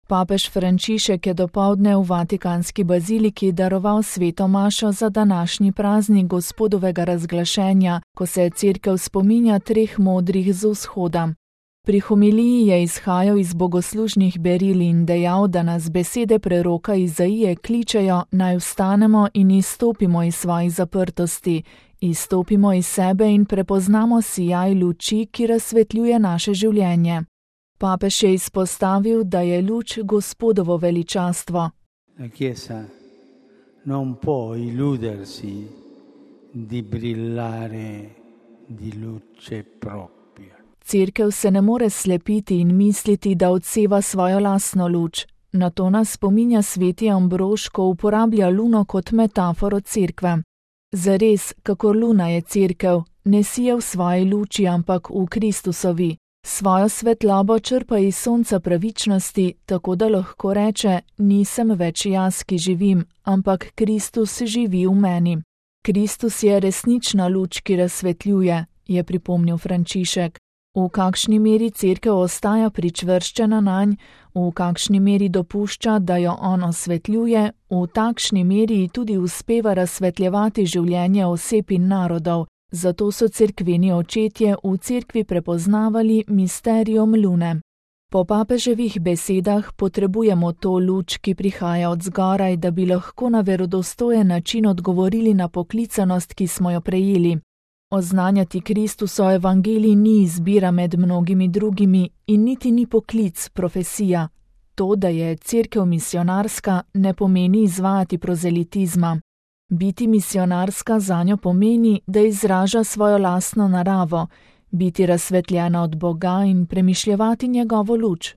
Papež Frančišek je dopoldne v Vatikanski baziliki daroval sveto mašo za današnji praznik Gospodovega razglašenja, ko se Cerkev spominja 3 modrih z vzhoda. Pri homiliji je izhajal iz bogoslužnih beril in dejal, da nas besede preroka Izaije kličejo, naj vstanemo in izstopimo iz svojih zaprtosti, izstopimo iz sebe in prepoznamo sijaj luči, ki razsvetljuje naše življenje. Papež je izpostavil, da je luč Gospodovo veličastvo. La Chiesa non può illudersi di brillare di luce propria. Cerkev se ne more slepiti in misliti, da odseva svojo lastno luč. Na to nas spominja sveti Ambrož, ko uporablja luno kot metaforo cerkve. Zares, kakor luna je cerkev, ne sije v svoji luči, ampak v Kristusovi. Svojo svetlobo črpa iz sonca pravičnosti, tako da lahko reče, nisem več jaz, ki živim, ampak Kristus živi v meni. Kristus je resnična luč, ki razsvetljuje, je pripomnil Frančišek. V kakšni meri cerkev ostaja pričvrščena nanj, v kakšni meri dopušča, da jo on osvetljuje, v takšni meri tudi uspeva razsvetljevati življenje oseb in narodov. Zato so cerkveni očetje v cerkvi prepoznavali misterijom lune. Po papeževih besedah potrebujemo to luč, ki prihaja od zgoraj, da bi lahko na verodostojen način odgovorili na poklicanost, ki smo jo prejeli. Oznanjati Kristuso evangelij ni izbira med mnogimi drugimi in niti ni poklic, profesija. To, da je cerkev misionarska, ne pomeni izvajati prozelitizma. Biti misionarska zanjo pomeni, da izraža svojo lastno naravo, biti razsvetljena od Boga in premišljevati njegovo luč.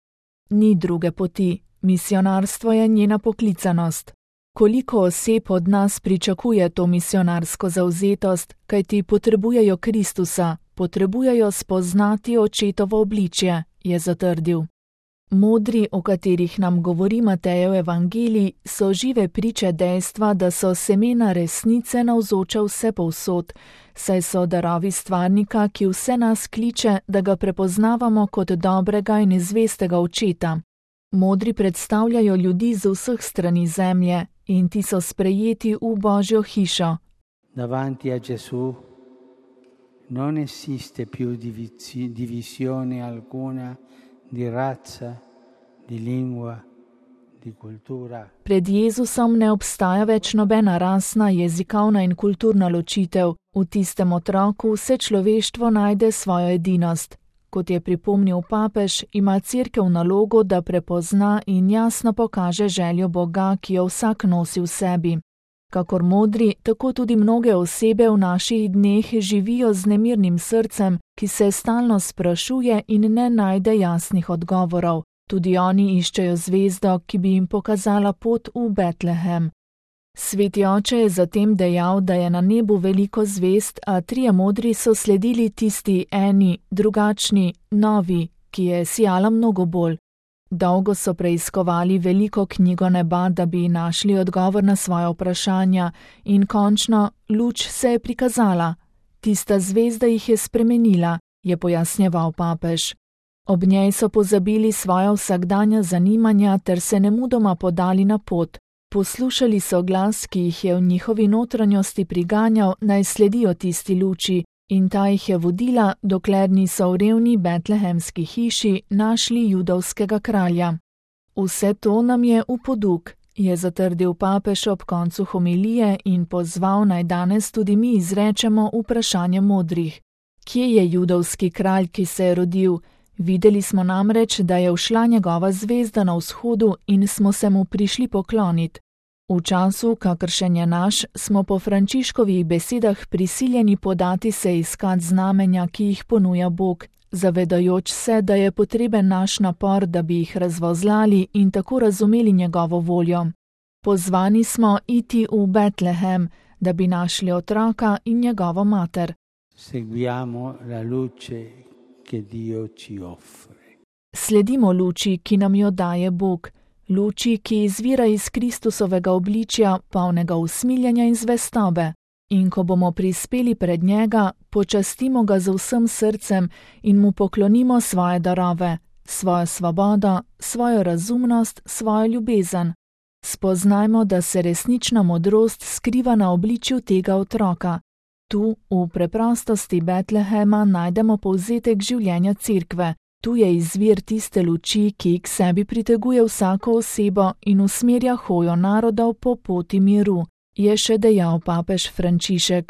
Ni druge poti, misionarstvo je njena poklicanost. Koliko oseb od nas pričakuje to misionarsko zavzetost, kajti potrebujejo Kristusa, potrebujejo spoznati očetovo obličje, je zatrdil. Modri, o katerih nam govori Matejev evangelij, so žive priče dejstva, da so semena resnice navzoča vsepovsod, saj so darovi stvarnika, ki vse nas kliče, da ga prepoznavamo kot dobrega in zvestega očeta. Modri predstavljajo ljudi z vseh strani zemlje in ti so sprejeti v Božjo hišo. Davanti a Gesù non esiste più divisione alcuna di razza, di lingua, di cultura. Pred Jezusom ne obstaja več nobena rasna, jezikovna in kulturna ločitev. V tistem otroku vse človeštvo najde svojo edinost. Kot je pripomnil papež, ima cerkev nalogo, da prepozna in jasno pokaže željo Boga, ki jo vsak nosi v sebi. Kakor modri, tako tudi mnoge osebe v naših dneh živijo z nemirnim srcem, ki se stalno sprašuje in ne najde jasnih odgovorov. Tudi oni iščejo zvezdo, ki bi jim pokazala pot v Betlehem. Sveti oče je zatem dejal, da je na nebu veliko zvezd, a 3 modri so sledili tisti eni, drugačni, novi, ki je sijala mnogo bolj. Dolgo so preiskovali veliko knjigo neba, da bi našli odgovor na svoje vprašanja in končno luč se je prikazala. Tista zvezda jih je spremenila, je pojasnjeval papež. Ob njej so pozabili svoja vsakdanja zanimanja ter se nemudoma podali na pot. Poslušali so glas, ki jih je v njihovi notranjosti priganjal, naj sledijo tisti luči, in ta jih je vodila, dokler niso v revni betlehemski hiši našli judovskega kralja. Vse to nam je v poduk, je zatrdil papež ob koncu homilije in pozval, naj danes tudi mi izrečemo vprašanje modrih. Kje je judovski kralj, ki se je rodil? Videli smo namreč, da je ušla njegova zvezda na vzhodu in smo se mu prišli pokloniti. V času, kakršen je naš, smo po Frančiškovih besedah prisiljeni podati se iskat znamenja, ki jih ponuja Bog, zavedajoč se, da je potreben naš napor, da bi jih razvozlali in tako razumeli njegovo voljo. Pozvani smo iti v Betlehem, da bi našli otroka in njegovo mater. Seguiamo la luce che Dio ci offre. Sledimo luči, ki nam jo daje Bog, luči, ki izvira iz Kristusovega obličja, polnega usmiljenja in zvestobe. In ko bomo prispeli pred njega, počastimo ga z vsem srcem in mu poklonimo svoje darove, svojo svobodo, svojo razumnost, svojo ljubezen. Spoznajmo, da se resnična modrost skriva na obličju tega otroka. Tu, v preprostosti Betlehema, najdemo povzetek življenja Cerkve. Tu je izvir tiste luči, ki k sebi priteguje vsako osebo in usmerja hojo narodov po poti miru, je še dejal papež Frančišek.